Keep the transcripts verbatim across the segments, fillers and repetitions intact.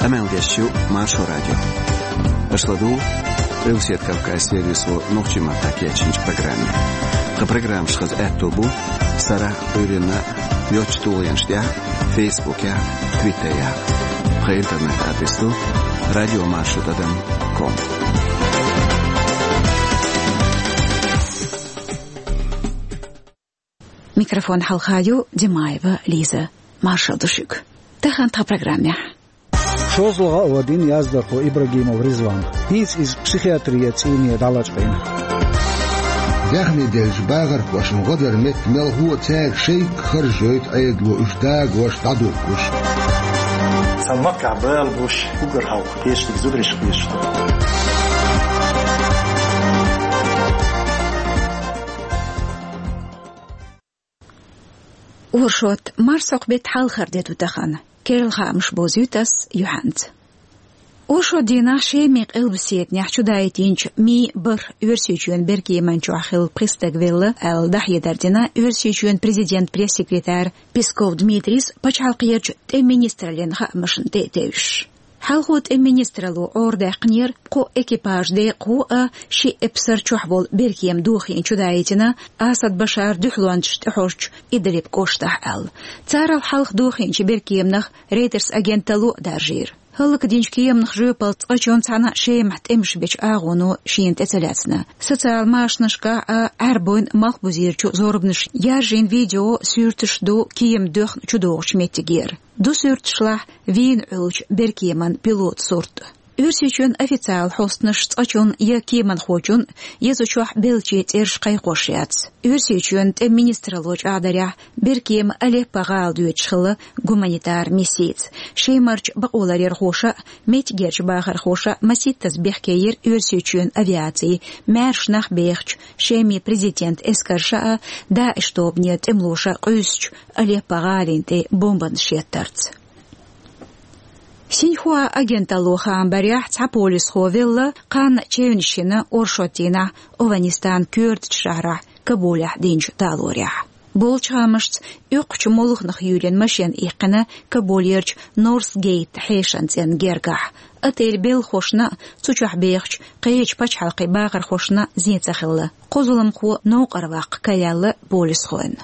Къамел деш ю Маршо радио. Аша ладугӀу Къилбаседа Кавказан сервисо нохчийн маттахь кечйинчу программе. Тхан программаш хаза аьтто бу сарахь а, Ӏуьйранна а йоцачу тулгӀенаш тӀехь а, Фейсбукехь а, Твиттерехь а. Тхан интернет-адрес ду радио маршо тӀадам ком. Микрофон хьалха ю Димаева Лиза. Маршалла ду шуьга. Тахана тхан программехь. ШозлагӀа а вадийна яздархо Ибрагимов Ризван. ХӀинца иза психиатрин цӀийне дӀалачкъийна. Даьхни деллачу бахархошна гӀо дар метта мелхо а цаьрга шайга харжа йойту Ӏедало уьш дагош, дӀадуьгуш. Цхьана махкахь бала буш, уггар хьалха кечдиг зударшка беш ду. Оршот, марсхьокху беттан хьалхара де ду тахана. Керла хаамаш бовзуьйту ас юьхьанца. Оршот дийнахь Шеман къилбаседанехь чудаийтинчу мин бархӀ Оьрсийчоьнан беркеман чохь хилла пхи стаг велла аьлла, дӀахьедар дина Оьрсийчоьнан президентан пресс-секретарь Песков Дмитрийс пачхьалкхерчу тӀеман министраллин хаамашна тӀе а тевжаш. Хьалхо тӀеман министралло Ӏорадаьккхинера кхо экипажан декъахо а, ши эпсар чохь волу беркема дохийна чудаийтина Асад Башаран дуьхьалончаша тӀехьожучу Идлиб кӀоштахь аьлла. Царал хьалха дохийначу беркеманах Рейтерс агенталло а даржийра. ХӀаллакдинчу кеманах жоьпалла цкъачунна цхьана Шемахь тӀемаш бечу агӀоно шена тӀе ца лаьцна. Социал машанашкахь а Ӏаьрбойн малхбузерчу зорбанаш яржийна видео, суьрташ ду кема доьхна чудогӀучу меттигера. Ду суьрташлахь вийна Ӏуьллучу беркеман пилотан сурт. Оьрсийчоьнан официалан хьостанаша цкъачунна я кеманхочунна, я цу чохь беллачийн цӀераш кхайкхош яц. Оьрсийчоьнан тӀеман министралло чӀагӀдарехь, беркема Алеппо гӀала доьдуш хилла гуманитар миссица. Шемарчу бакъоларъярхоша а, меттигерчу бахархоша а масийттаза бехке йира Оьрсийчоьнан авиаци, маьрша нах бехачу Шеман президентан эскарша а, ДАИШ тобанера тӀемалоша къуьйсучу Алеппо гӀалин тӀе бомбанаш еттарца. Синьхуа агенталло хаам барехь, цхьа полисхо велла, кханна чевнаш йина оршот дийнахь Афганистанан коьртачу шахьарахь Кабулехь динчу талорехь. Болчу хаамашца, оьккхучу молханах юьйрина машен иккхина Кабулерчу Норс Гейт хьешан цӀенна гергахь. Отель белхахошна а, цу чохь бехачу кхечу пачхьалкхийн бахархошна а зен ца хилла. Кхо зуламхо новкъара ваккха караелла полисхойн.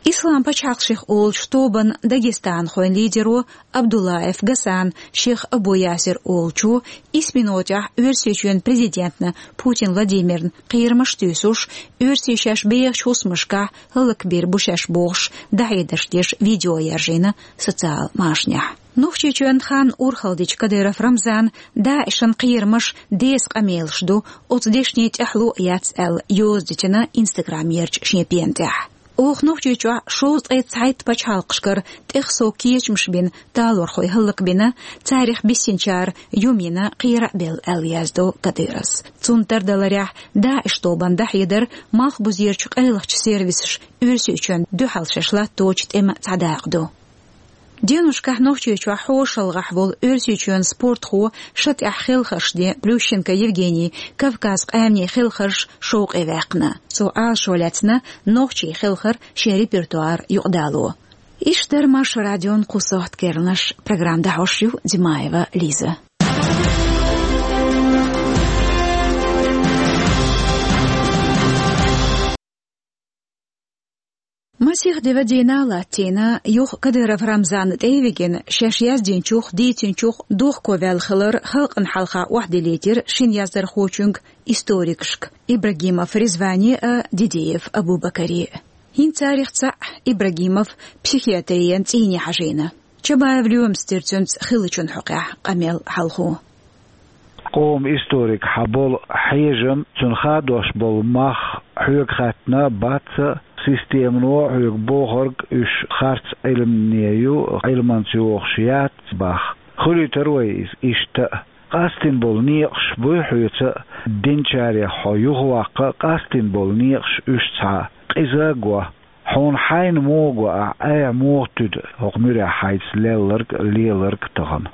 Ислам пачхьалкх шех олучу тобанан дагестанхойн лидеро Абдуллаев Гасан шех Абу Ясир олучо исс минотехь Оьрсийчоьнан президентна Путин Владимирна кхерамаш а туьйсуш, оьрсий шаьш бехачу хӀусамашкахь хӀаллакбийр бу шаьш бохуш, дӀахьедарш деш видео яржийна социал машанехь. Нохчийчоьнан хан урхалдича Кадыров Рамзана ДАИШан кхерамаш деса къамелаш ду, оцу дешнийн тӀаьхьало а яц аьлла, йоза дитина Инстаграмерчу шен пена тӀехь. Оха Нохчийчохь шовзткъе цхьайтта пачхьалкхашкара тӀех сов кечамаш бина талорхой хӀаллакбина, царах биссинчара юм йина, кхера а белла аьлла яздо Кадыровс. Цунна тардаларехь, ДАИШ тобанна дӀахьедар малхбузерчу къайлахчу сервисаша Оьрсийчоьнна дуьхьал шаьш латточу тӀеман цхьа дакъа ду. Денушкахь Нохчийчохь хьошалгӀахь волу Оьрсийчоьнан спортхо, шатӀехь хелхарш ден Плющенко Евгений Кавказ къаьмнийн хелхарш шовкъе ваьккхина. Цо Ӏалашо лаьцна нохчийн хелхар шен репертуар юкъадало. Иштта дара Маршо радион кху сохьта керланаш. Программа дӀахьош ю Димаева Лиза. Масех де вадийна а латтийна, юха Кадыров Рамзанна тӀе а вигина, шаьш яздинчух, дийцинчух дохко ваьлла хилар халкъана хьалха охьадиллийтира шина яздархочуьнга, историкашка Ибрагимов Ризване а, Дидиев Абубакаре а. ХӀинца царах цхьаъ, Ибрагимов, психиатрин цӀийне хьажийна. Чабаев Лоьмас дира цуьнца хиллачун хьокъехь къамел хьалхо. Къоман историкехь болу хьежам, цунна хадош болу мах хьоьга хаьттина бац а, системано хьоьга бохург уьш харц Ӏилмане ю, Ӏилманца йохуш яц бах. Хуьлуьйтур вай иза иштта а. Къастийна болу некъаш буй хьоьца а, динчарех хьо юхаваккха а къастийна болу некъаш уьш цхьа а. Къиза а го. Хьуна хьайна муха го ахь, айхьа муха туьду хӀокху муьрехь хьайца лелларг а, леларг а тахана?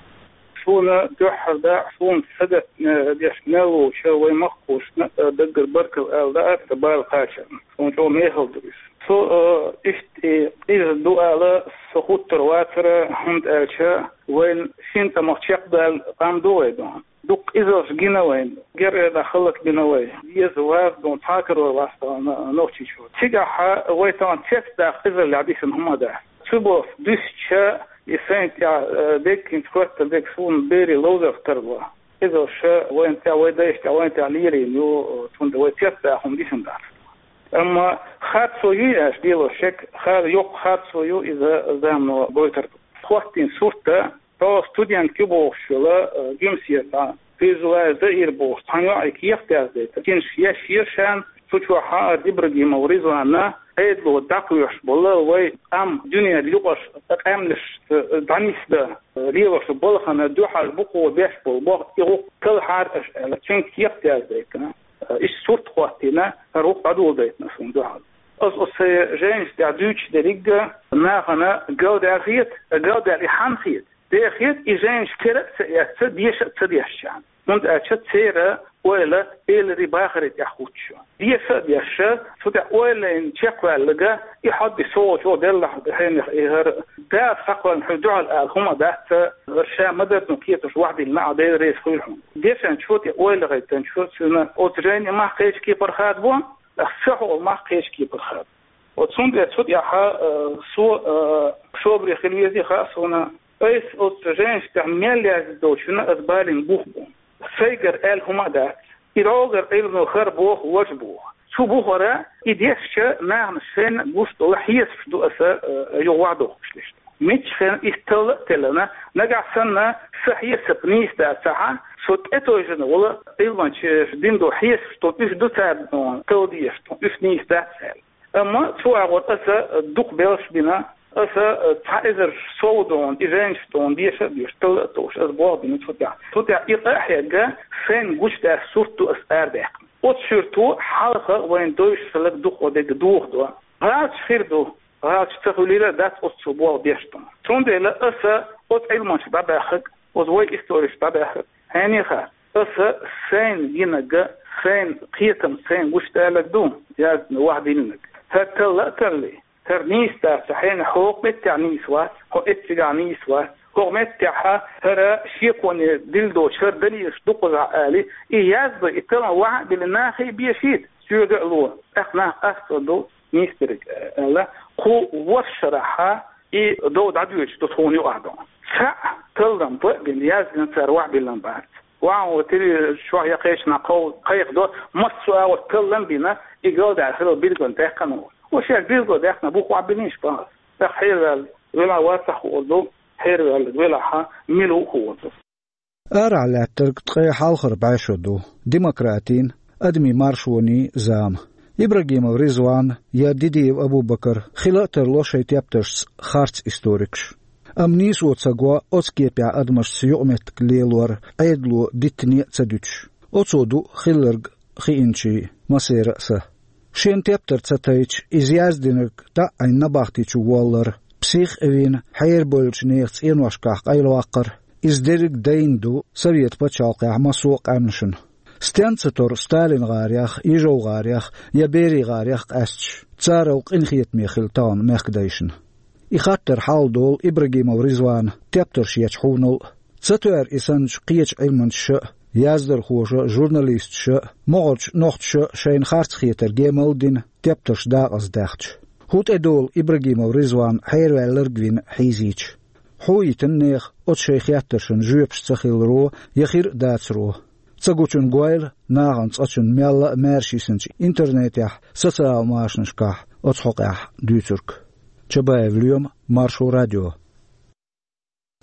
Суна дуьххьара дакъа, суна сагатна деш мел волча вай махкошна а даггара баркалла ала лаьа тхан бала кхачарна. Суна чӀогӀа мехала ду иза. Цо, э, иштта и къиза ду ала со хуттар вацара, хӀунда аьлча вайна шин тӀамах чекхдала къам ду вай духьа. Дукха къизалш гина вайна, герга хӀаллак бина вай, веза-ваза духьа цхьа а карор вац тхона Нохчийчоа. Цигахьа вай тахана цецдаккха къизаллехь дисина хӀума дац. Цу боху дуьсча, и сайна тӀехь, э, деггинца хӀоьттина дерг суна берийн ловзарх тарло. Къизалш вайна тӀехь, вай дайшна тӀехь, вайна тӀехь лелийна ю, цундела вай цецдаккха хӀума дисина дац. Амма харцо юй аьлча, лелош шек, хар-, йоккха харцо ю иза замано гойтар. ХӀоттийна сурт а, тхо студент ю бохуш йолу, э, Гуьмсетахь, Фейзуллаев Заир бохуш цхьана йоӀе кехат яздайтина. Цуьнан еш яра шена, цу чохь хьаара Ибрагимов Ризванна, Ӏедало дӀакхоьхьуш болу вай къам дуьненан юкъарчу къаьмнашца дӀанисдан лелош балхана дуьхьал букъо беш болу боху и гӀуллакх талхьара аша аьлла, цуьнга кехат яздайтина. Иштта сурт а хӀоттийна, хӀара гӀуллакх дӀадоладайтина суна дуьхьал. Аса оцу сайн жайнаш тӀехь дуьйцуш дерриг а нахана галдаьлла хета, галдаьлла и хьанна хета? Дехет и жайнаш кара а ца эцна, деша а ца дешчарна. ХӀунда аьлча церан ойла эларий бахарий тӀехь хуттуш ю. Деша а дешча, цу тӀехь ойла лайна чекхваьлларг, и хьо-м со волчу деллахь хьенех и хӀара Дала схьакхоьллина хьуна дуьхьал ала хӀума дац, хӀара ша ма-дарра кхеташ вахдиллина а, Дела реза хуьлда хьуна. Дешначо тӀе ойла гӀайттинчо цуьнан оцу жайни мах кхечу кепара хадабо, аса ца хьо мах кхечу кепара хадабо. Вот цундела цу тӀехь, э, со, э, собаре хила везий хаьа суна. Айса оцу жайнаш тӀехь мел яздина долчунна аса балийна бух бу. Сайгара аьлла хӀума а дац. И дӀогара Ӏилмано хӀара боху, важа боху. Цу бухара и дешча нахана шайна гуш долу хьесапаш ду аса, э, юха вахдохуш дешна. Мичча хенахь иза талла а теллина, нагахь санна сан хьесап нийса дацахь, со тӀетевжина волу Ӏилманчаша дина долу хьесапаш ду, уьш ду царна талла дезаш, уьш нийса дац аьлла. Амма цу агӀор аса дукха белш бина, аса цхьа эзар сов долу и жайнаш долу деша а деш, талла а толлуш, аса болх бина цу тӀехь. Цу тӀехь и къа а хьегна, шайна гучудаьлла сурт ду аса арадаьккхина. Оцу суьрто хьалха вайна девзаш хилларг дукха дерг дохадо. ГӀалаташ хир ду, гӀалаташ ца хуьлийла а дац оццул болх беш долу. Цундела аса оцу Ӏилманчу дӀабаьхнарг, оцу вай историйчу дӀабаьхнарг, хьенеха, аса сайна гинарг, сайна кхетам, сайна гучудаьлларг ду, яздина, вахдиллинарг. ХӀара талла а таллий, хӀара нийса дац, хьенех, хӀокху меттехь нийса вац, хьо эццигахь нийса вац, хӀокху меттехь хӀара шеконе дилла доцуш хӀара далилаш дукхазахь алий, и яздо, и таллам ваха а биллина, нахе а бешийта, соьга а ло, тӀаккха нах къасто ду, нийса дерг аьлла, кху ворхӀ шарахь и дов дӀадоьдуш ду тхуна юкъахь ду. Цхьаъ таллам бан а бина, яздина цара ваха биллина бац. Ваха вон телевизор чохь я кхечанхьа кхов-, кхайкхадо, массо а агӀор таллам а бина, и галдаьлла хилла билгал даьккхина ву. Ва шаьш билгал даьккхина, бух ваха биллинаш бан. ТӀаккха хьераваьлла велахь вацахь хуур ду, хьераваьлларг велахь мила ву хуур ду. Арахь лаьттарг ткъе хьалхара бӀешо ду, демократин, адамийн маршонийн зама. Ибрагимов Ризван я Дидиев Абубакар хила а тарло шайн тептаршца харц историкаш. Амма нийсо ца го оцу кепехь адамашца юкъаметтиг лелор Ӏедало диттане а ца дуьтуш. Оцо ду хилларг хиъначийн массеран а са. Шен тептар ца тайча, иза яздинарг дӀа а Ӏийна набахти чу воллар, псих а вина, хьерабевллачу нехан цӀеношкахь къайлаваккхар, иза дерриг а дайна ду Совет пачхьалкхехь массо а къаьмнашна. Стенна ца тора Сталин гӀарех, Ижов гӀарех я Берий гӀарех къаьсташ, царал къинхетаме хилла тахана мехкадайшна. И хаттар хьалдолу Ибрагимов Ризвана тептарш ечу хьунал а. Ца тоьар и санначу кхечу Ӏилманчаша а, яздархоша а, журналисташа а, могӀарчу нохчаша а шайна харц хетарг емал а дина, тептарш дакъаздаьхча. ХӀун тӀедолу Ибрагимов Ризван хьераваьлларг вина хьийзийча? Хьо йитина нехан оцу шайн хеттаршна жоьпаш ца хиларо я хир а дацаро? Ца гучун гойла нахана цкъачунна мелла а маьрша йисинчу интернетехь, социал машанашкахь оцу хьокъехь дуьйцург. Чабаев Лоьма, Маршо радио.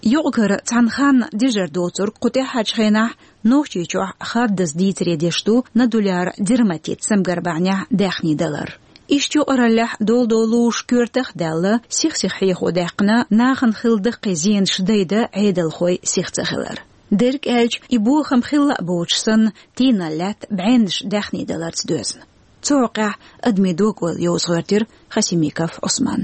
Юкъ-кара цхьана ханна дежар доцург кху тӀаьххьарчу хенахь Нохчийчохь хаддаза дийцаре деш ду нодуляр дерматит самгар бахьанехь даьхний далар. Иштта юкъараллехь долу-долуш коьртах а даьлла, сих-сиха хьехо даьккхина, нахана хилла даккхий зенаш дайда Ӏедалхой сих ца хилар. Дерг аьлча, и бохам хилла а боцуш санна, тийналла лаьтта бӀеннаш даьхний даларца доьзна. Цу хьокъехь адамийн дог-ойла йовза гӀоьртира Хасимиков Ӏусман.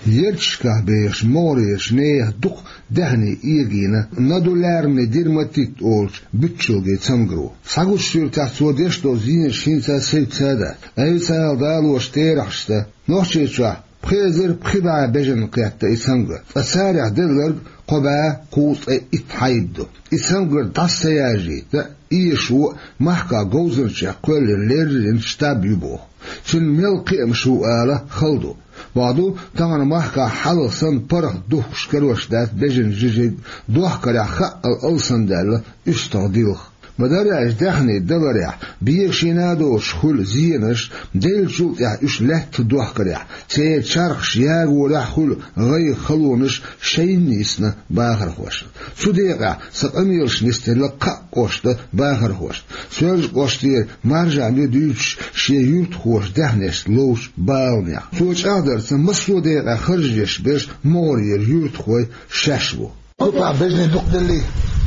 Ярташкахь бехаш могӀарерчу нехан дукха даьхни эгийна нодулярный дерматит олучу буьтчалгийн цамгаро. Схьагучу суьртехь цо деш долу зенаш хӀинца а севцца а дац. Айса ала далош терахьашца, Нохчийчохь пхи эзар пхи бӀе бежанна кхетта и цамгар, ткъа царах делларг кхо бӀе кхузткъе итт хьайба ду. И цамгар дӀаса ца яржийта, эшаво а, махкахь говзанчех кхоьллина леррина штаб ю боху. Цуьнан мел кхиамаш ву ала хала ду. Боху ду, тахана махкахь хьалха санна паргӀат духкуш карош дац бежанийн жижиг, дохкарехь хаъал алсамдаьлла уьстагӀ дилха. Ма-дарра аьлча, даьхни даларехь, бегашийна а доцуш хуьлу зенаш, деллачул тӀаьхьа уьш лаьттах дохкарехь, церан чархаш ягорехь а хуьлу гӀайгӀа, халонаш шайна йисна бахархошна. Цу декъехь сан къамелаш нисделла кхаа кӀошта бахархошна. Соьлжа-кӀоштера Маржан ю дуьйцуш шен юьртахоша даьхнешца ловчу баланех. Цо чӀагӀдарца, массо а декъехь харж деш берш могӀарера юьртахой шаьш бу. Купахь бежанийн дукха деллий?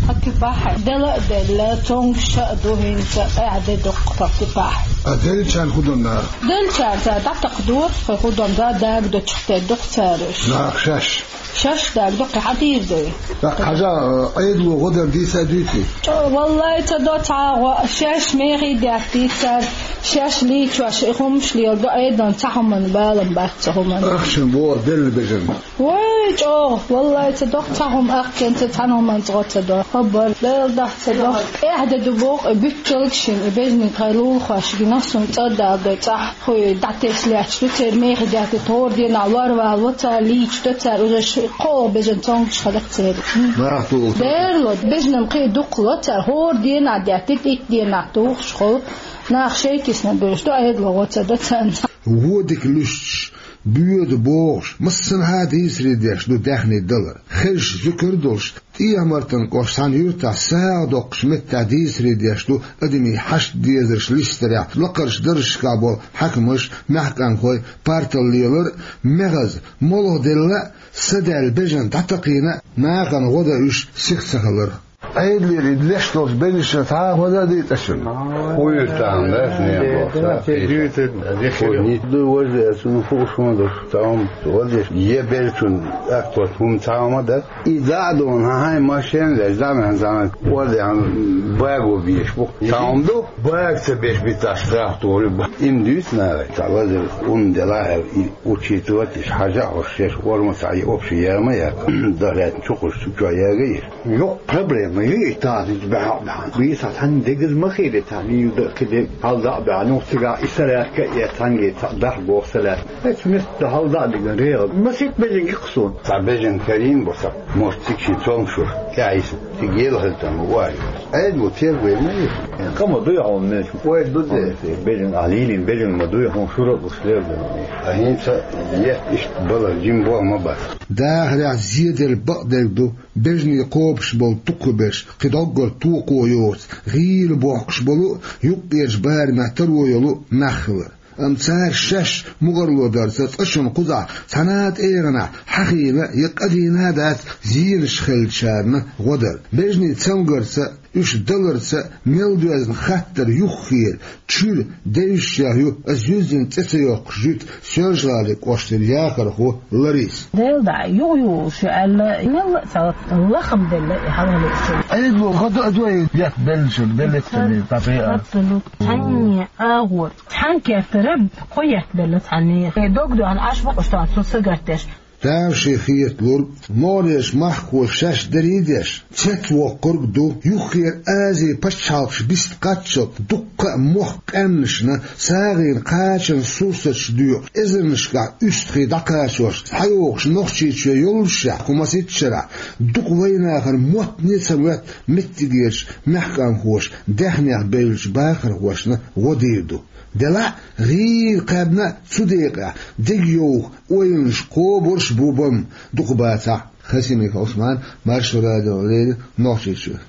Кху купахь дела а делла, цомгуш а ду хӀинца, къаьхьа де дукха кху купахь. А деллачарна хӀун до наха? Деллачарна цара дӀатакхадо, кху хӀун до, да, дагадоцуш тера ду-кх цара уьш. Наха шаьш? Шаьш дагадо, кхин хьан дийр ду? ТӀаккха хьажа, Ӏедало гӀо дар дийца а дуьйций? ЧӀо, валлай, ца до цхьа а гӀо, шаьш мехий деттийта цара, шаьш лийчош, и хӀумаш леладо, Ӏедална цхьа хӀуманна балам бац цу хӀуманна. Ахчана боху делла бежанна. Вай, чӀогӀа, валлай, ца до-кх цхьа хӀума, ахчанца цхьана хӀуманца гӀо ца до. Хабар, Дела дахь ца до. ТӀаьхьа де ду боху и буьтчалг шина, и бежанийн тхайн лулахошна, суна цӀа а даладой, цӀахь хуй дӀатесна лаьтташ ду, церан мехий деттийта хӀора дийнахь лорвалаво цара, лийчадо цара, уже ши-, кхоалгӀа бежан цомгуш хилла-кх церан. Нах тулу. Дерло, бежанна кхин а дукха ло цара, хӀора дийнахь деттийта, итт дийнахь тухуш хуьлу, нах шайта йисна буьйлуш ду, Ӏедало гӀо ца до царна. Вон дика луьстуш, боьду бохуш, массанхьа а дийцаре деш ду даьхни далар. Хезаш зуькар а долуш, ТӀехьа-Мартан кӀоштан цхьана юьртахь сагӀа доккхучу меттехь дийцаре деш ду адамийн хьашт дезарш листарехь, лакхарчу даржашкахь болу хьаькамаш, маьхкамхой партал лелар а, мехаза, молха делла а, са даьлла бежанна дӀатакхийна а, нахана гӀо дан уьш сиха ца хилар. Ӏедалера и леш долчу бежанашна цхьа а гӀо дан а дийцина шуна? Кху юьртахь дац, нехо. Кху юьртахь. Ду важа, цунна хууш хӀун ду, цхьа хӀума гӀо деш, я бежачунна атта хӀума цхьа хӀума дац. И дӀа а дуьйна, хьан-хьайн машен а леш, дӀа а ваьхна, цхьана кӀордехь баго беш бу. Цхьа хӀума ду? Бага ца беш биташ страх тори бу. Им дуьйцу нахе, цхьа лазар хӀума делахь аьлла, и учитывать еш, хьажа а хьожуш, шаьш орма цхьа и общая яма яц, дахьлаьцна чукхуш, чу чохь яга еш. Йоккха проблема ю и таханчу баьхьа а баьхьана. Бийса цхьанна дегаза ма хилира цхьа, и ю дан кхин де хьалда а баьхьана, юха цигахь и сарахка а эцхьанге цхьа дахь боху салаьцна. Эцу меттехь хьалда а диган регӀал. Масийтта бежанга кху суна. Цхьа бежан карийна бу сан, может, цига шен цомгушуш тӀаьхьа йисна. Цига елахаза там ву аьлла. Ӏедало тергой ма ю. Къа ма дуй хьуна, мелча. Ой, ду де. Бежан а лийлина, бежан ма дуй хьуна, шура а луш лер ду. А хӀинца етта иштта балар жима боху ма бац. Дахарехь зеделла бакъдерг ду, бежанийн кхобуш болу дукхахберш, кхин доггах токхо йоцу, гӀийла бохкуш болу, юккъерчу барамехь таро йолу нах хилар. Амма цара шаьш мукъарло дарца цкъачунна кхузахь цхьана а тӀегӀанехь хьахийна я къадийна а дац зенаш хиллачарна гӀо дар. Бежанийн цамгарца, уьш даларца мел доьзна хаттар юххера, чуьра, девзаш ю ас юьззина цӀе ца йоккхуш жуьгташа Соьлжа-ГӀалин кӀоштара яхархо Лариса. Дела дӀа, юха юхуш ю аьлла, мелла а ца лахам делла и хьалхалерчун. Ӏедало гӀо дан а дуй, етт беллачун, беллачун, тапе а. Абсолютно. Цхьанне агӀор. Цхьана кертара кхо етт белла цхьанне. Дог доьхна Ӏаш бу-кх уьш тахана цу сагатдеш. Тамашийна хеталург, могӀарерчу махкахоша шаьш дарий а деш, цецвоккхург а ду, юххера Ази пачхьалкхаш биста кхаччалц дуккха а мохк къаьмнашна, сагӀина кхачанан сурсаташ доькъуш, эзарнашкахь уьстагӀий дӀакхачош, схьайогӀуш Нохчийчоь йоллушехь, кху масийтта шарахь дукха вайнахана моттане а ца моьтту меттигерчу маьхкамхоша даьхнех бевллачу бахархошна гӀо дийр ду. Делахь а, гӀийла кхаьбна а цу декъехь дегайовха ойланаш кхобурш а бу бан, дукха бацахь. Хасимиков Ӏусман, Маршо радиона леррина, Нохчийчуьра.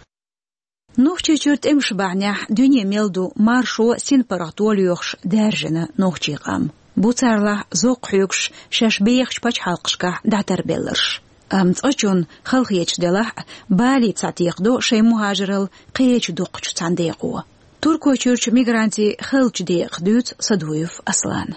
Нохчийчуьра тӀемаш бахьанехь дуьне мел ду маршо, синпаргӀато лоьхуш даьржина нохчийн къам. Бу царлахь зовкх хьоьгуш шаьш бехачу пачхьалкхашкахь дӀатарбелларш. Амма цкъачунна, халахеташ делахь а, бале схьатекхадо шайн мухӀажаралла кхечу дукхачу цхьана декъо. Туркойчуьрчу мигрантийн хиллачу декъах дуьйцу Садуев Аслана.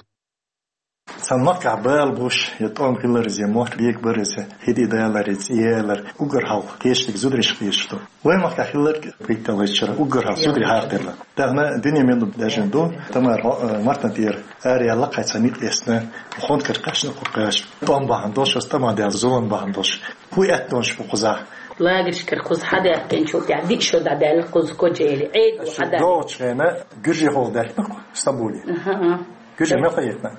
Цхьан махкахь бала буш, я тӀом хилар иза, я мохк бег бар иза, хӀиди далар, я цӀи ялар, уггар хьалха кхечдиг зудараш кхечду. Вай махкахь хилар, кхийтта лайчара, уггар хьалха зударий хьархилла. Дахана дуьне мел ду, даьжна ду, тамар, э, мартан тӀера, ара яьлла кхай цхьа никъ эсна, хонкар кхаьчна кху кхаьчна. ТӀом бахьан долуш, ас тӀама даьлла зулам бахьан долуш. ХӀун аьттонаш бу кхузахь? Лагершкара кхуза хьадаьккхинчул тӀаьхьа диъ шо дӀадаьлла кхуза Кочаэли. Ӏедало хьадаьлла. ДогӀучу хенахь гуьржехула даьккхина кху Стамбуле. Аха, а. Гуьржехь мел хьаэттина?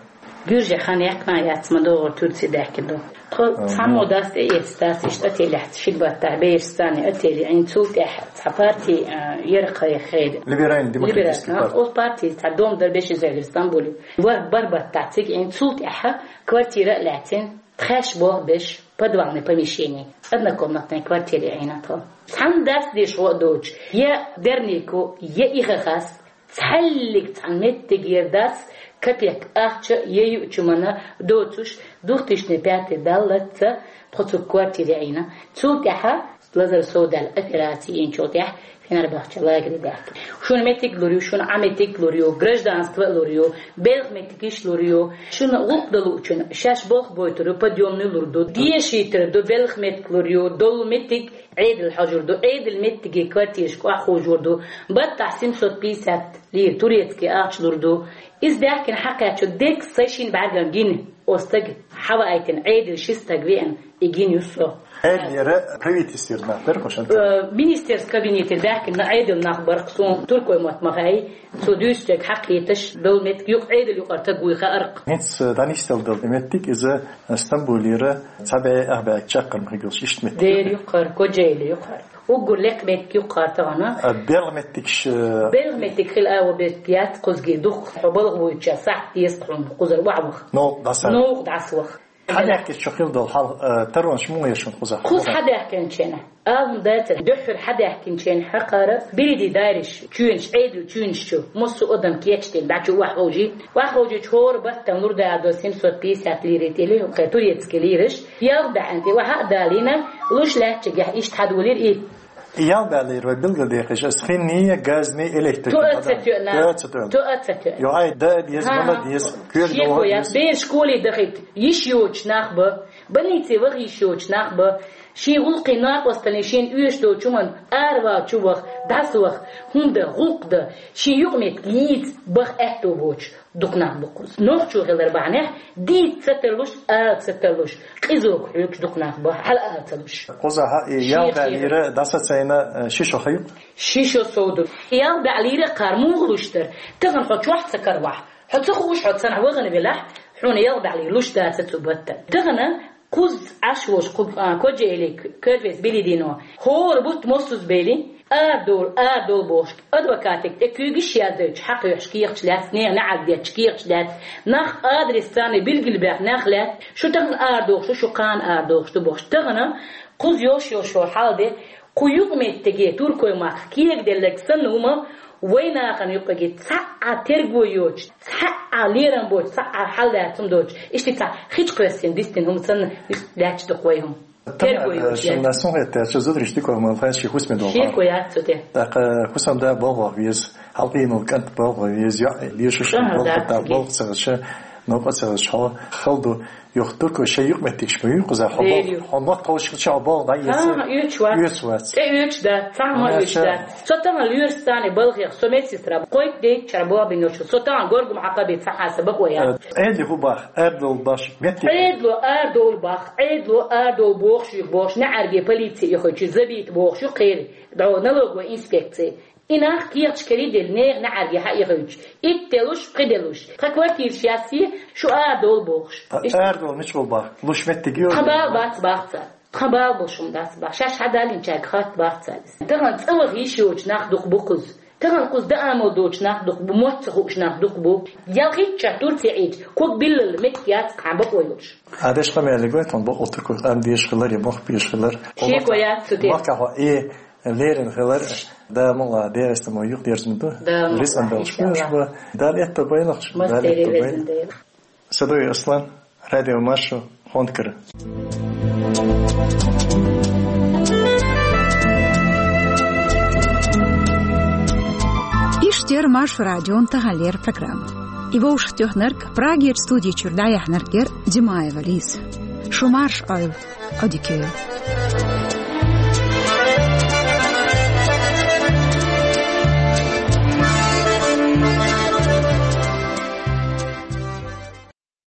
Гуьржехь хан яьккхина яц, ма догӀура Турци даьккхина ду. Тхо Ага. цхьаммо дац тӀеэцна, дац иштта отелехь ши баттахь бераш царна отеле Ӏийна, цул тӀаьхьа цхьа парти, а, яра кхайкха хейра. Либеральный демократический Либеральный, парти. Оцу парти цхьа дом дара бешизойгара Стамбуле. Вар-, бар баттахь цига Ӏийна, цул тӀаьхьа квартира а лаьцна, тхаьш болх беш, подвальный помещение, однокомнатная квартира Ӏийна тхо. Цхьана дац деш гӀо а доцуш, я дернико, я ихахас, цхьаьллиг цхьана меттигера дац капек ахча я юучумана доцуш, двухтысячный пятый даллаца тхо цу квартире Ӏийна. Цул тӀаьхьа лазар совдаьлла операци йинчул тӀаьхьа Фенербахче лагере даьккхина. Шуна меттиг лур ю, шуна Ӏа меттиг лур ю, гражданство а лур ю, белхан меттигаш лур ю. Шуна гӀуллакх дан луучун шаьш болх бойтур ю, подъёмный лур ду, дешийтар ду, белхан меттиг лур ю, долу меттиг Ӏедал хьожур ду, Ӏедал меттиге квартирашка охьаховшор ду, баттахь семьсот пятьдесят лира турецкий ахча лур ду. Иза даьхкина хьакхаьчча дерг сайн шина бӀаьргана гина, оцу стага хьаваийтина Ӏедал ши стаг веана, и гина ю со. Ӏедалера правительствера нах дара хӀушанца? Э, министерский кабинетера даьхкина Ӏедал нах бара суна туркой мотт ма хаьий, цо дуьйцучуьнга хьакхеташ долу меттиг юкъа Ӏедал юкъара стаг вуй хаьара-кх. ХӀинца, э, дӀанисделла долу меттиг иза Стамбулера цхьа бӀе ах бӀе чаккхарма хиг йолуш иштта меттиг. Дера юккъара, Кочаэли юккъара. Уггар лекха меттиг юккъара тахана. А белхан меттигаш, э, Белхан меттиг хила агӀо беттиг яц кхузге дукха. Хьо балха вуьйча сахьт деза хьуна кхузара охьаваха. Новкъа дӀасаваха. Новкъа дӀасаваха. Хьадаьхкича хьо хила долу хьал, э, таронаш муха еш хьуна кхузахь? Кхуза хьадаьхкинчу хенахь. Ала хӀума дацара, дуьххьара хьадаьхкинчу хенахь хьакхара, берриге дайраш, чоьнаш, Ӏедал чоьнаш чу, массо а адам кечдина, дӀа чу охьаховший. Охьаховшийча хӀора баттана лур дара до семьсот пятьдесят лира тӀе, кхе турецкий лираш. Ялх бӀаьнна тӀе охьа а далийна, луш лаьттачигахь иштта хьадолийра и. Ялх бӀаьнна лира вай билгалдехаш, ас хинний, газний, электрикний. Тоа ца тоьна. Тоа ца тоьна. Тоа ца тоьна. Йо, ай, да, деза, ХӀа-хӀа. Мала деза, коьрта Шеко долу яц, деза. Бераш школе дахийта йиш йоцуш нах ба, больнице ваха йиш йоцуш нах ба, шен гӀуллакхийн накъосталлин шена оьшуш долчу хӀуманна аравала чу ваха, дӀасаваха, хӀунда, гӀуллакх дан, шен юкъаметтиг йийца баха аьтто боцуш дукха нах бу кхуза. Нохчо хилар бахьанехь, дийца ца тарлуш, ала ца тарлуш, къизалга хьоьгуш дукха нах бу, хьала ала ца луш. Кхузахь и Шен ялх бӀаьнна лира дӀасацийна, э, ши шо хьа ю-кх? Ши шо сов ду. Ялх бӀаьнна лира кхара муха луш дара? Тахана хьо чохь ца каравахь, хьо ца хууш, хьо цхьанхьа вахана велахь, хьуна ялх бӀаьнна лира луш дацара цу баттана. Тахана кхуза Ӏаш волуш кху, а, Кочаэли Кёрпес Билидино хӀора бутт моссазбелла арадовла, арадовла бохуш, адвокатега тӀе куьйгаш яздойтуш хьакхоьхьуш кехаташ лаьцна, нехан неӀарга детташ кехаташ лаьцна, нах адрес царна билгалбаьхна нах лаьцна, шу тахана арадохуш ду, шу кхана арадохуш ду бохуш. Тахана кхуза йолуш йолу хьал де, кху юкъаметтиге туркойн махках кегаделларг санна хӀума вайн нахана юкъаге цхьа а терго йоцуш, цхьа а лерам боцуш, цхьа а хьал лаьцна доцуш, иштта цхьа хи чу кхоьссина дистина хӀума санна, иштта лаьтташ ду-кх вай хӀума. Терго йоцуш. Шуна сон хетта, шу зударий дика ма лхайна ши хӀусаме долу. Шеко яц цу тӀе. ТӀаккха хӀусамда болх бан веза, хьалкъийна кӀант болх бан веза, йоӀ лешуш. Ага, болх да, дан, болх ца хилча, новкъа ца хилча хьо хала ду. Юха туркой шайн юкъаметтигаш ма ю кхузахь, хьо болх, хьо мотт ховшалча хьо болх дӀаэца. Ага, оьцуш вац. Оьцуш вац. ТӀе оьцуш дац, цхьа хӀума оьцуш дац. Со тахана лоьраш царна балхех, со медсестра, кхойтта дейтта чара боху бина йолуш, со тахана горгам хьакхаби цхьа хьаса бакъо яц. Э, Ӏедале хӀун боху, арадовла боху, меттиг. Ӏедало арадовла боху, Ӏедало арадовла бохуш ю бохуш, неӀарге полици яхачу забийта бохуш ю кхера, дӀо налоговая инспекция. И нах кехаташ карийделла, нехан неӀарге хьаихуьйтуш. Итт делуш, пхи делуш. Тхан квартираш яссе, шу арадовла бохуш. А, иштта. Арадовла мича боху? Луш меттиг ю? Тхан бала бац боху цара. Тхан бала болуш хӀума дац боху. Шаьш хьадаллинчаьрга хатта боху цара иза. Тахана цӀа ваха йиш йоцуш нах дукха бу кхуза. Тахана кхуза даамал доцуш нах дукха бу, мотт ца хууш нах дукха бу. Ялхитта чохь Турци Ӏийча, ког биллалла меттиг яц кхана бакъо йолуш. Ӏа деш къамелиг вай тхуна бакъо туркойх къам деш хилар я мохк беш хилар. Шеко яц цу тӀе. Махкахь хьо и лерина хилар, Дала мукъ лахь, дегӀаста мо юкъ дерзна ду. Дала мукъ лахь, иншаллахӀ. Рицкъан белхаш беш ба. Дала этто байлахча, Дала этто байлахча. Садой Аслан, Радио Маршо, Хонкара. Иштта яра Маршо радион таханлера программа. И вовшахтоьхнарг, Прагера студи чуьра дӀаяьхьнарг яр Димаева Лиза. Шу марша Ӏойла, Ӏодика йойла.